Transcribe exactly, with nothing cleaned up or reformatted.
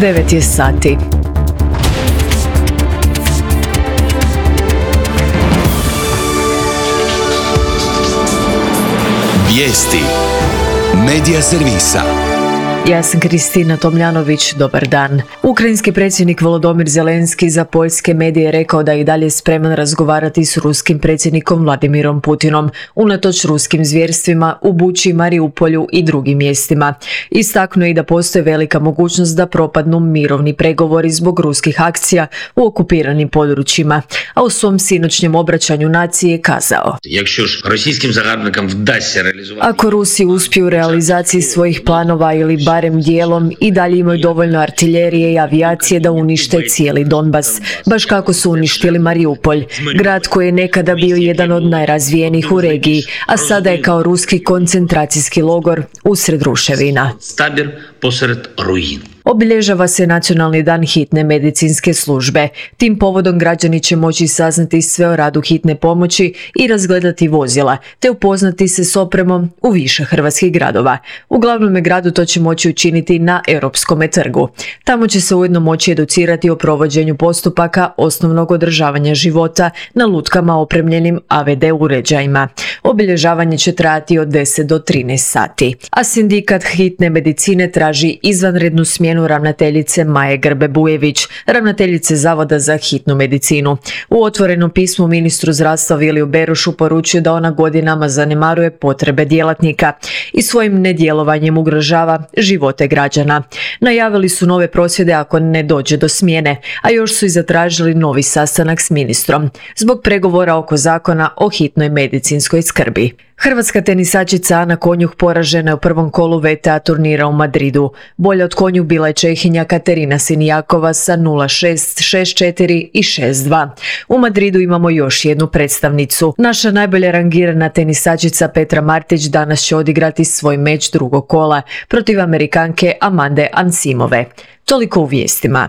devet je sati. Vijesti Medija servisa. Ja sam Kristina Tomljanović, dobar dan. Ukrajinski predsjednik Volodymyr Zelenski za poljske medije rekao da je i dalje spreman razgovarati s ruskim predsjednikom Vladimirom Putinom, unatoč ruskim zvjerstvima u Buči, Mariupolju i drugim mjestima. Istaknuo je da postoji velika mogućnost da propadnu mirovni pregovori zbog ruskih akcija u okupiranim područjima, a u svom sinoćnjem obraćanju naciji je kazao: Ako Rusi uspiju u realizaciji svojih planova ili barem dijelom i dalje imaju dovoljno artiljerije i avijacije da unište cijeli Donbas, baš kako su uništili Mariupolj, grad koji je nekada bio jedan od najrazvijenijih u regiji, a sada je kao ruski koncentracijski logor usred ruševina. Obilježava se Nacionalni dan hitne medicinske službe. Tim povodom građani će moći saznati sve o radu hitne pomoći i razgledati vozila, te upoznati se s opremom u više hrvatskih gradova. U glavnom gradu to će moći učiniti na Europskom trgu. Tamo će se ujedno moći educirati o provođenju postupaka osnovnog održavanja života na lutkama opremljenim A V D uređajima. Obilježavanje će trajati od deset do trinaest sati. A sindikat hitne medicine traži izvanrednu smjenu ravnateljice Maje Grbe-Bujević, ravnateljice Zavoda za hitnu medicinu. U otvorenom pismu ministru zdravstva Viliju Berošu poručuje da ona godinama zanemaruje potrebe djelatnika i svojim nedjelovanjem ugrožava živote građana. Najavili su nove prosvjede ako ne dođe do smjene, a još su i zatražili novi sastanak s ministrom zbog pregovora oko zakona o hitnoj medicinskoj skrbi. Hrvatska tenisačica Ana Konjuh poražena je u prvom kolu V T A turnira u Madridu. Bolja od Konjuh bila je Čehinja Katerina Sinijakova sa nula šest, šest četiri i šest dva. U Madridu imamo još jednu predstavnicu. Naša najbolje rangirana tenisačica Petra Martić danas će odigrati svoj meč drugog kola protiv Amerikanke Amande Ansimove. Toliko u vijestima.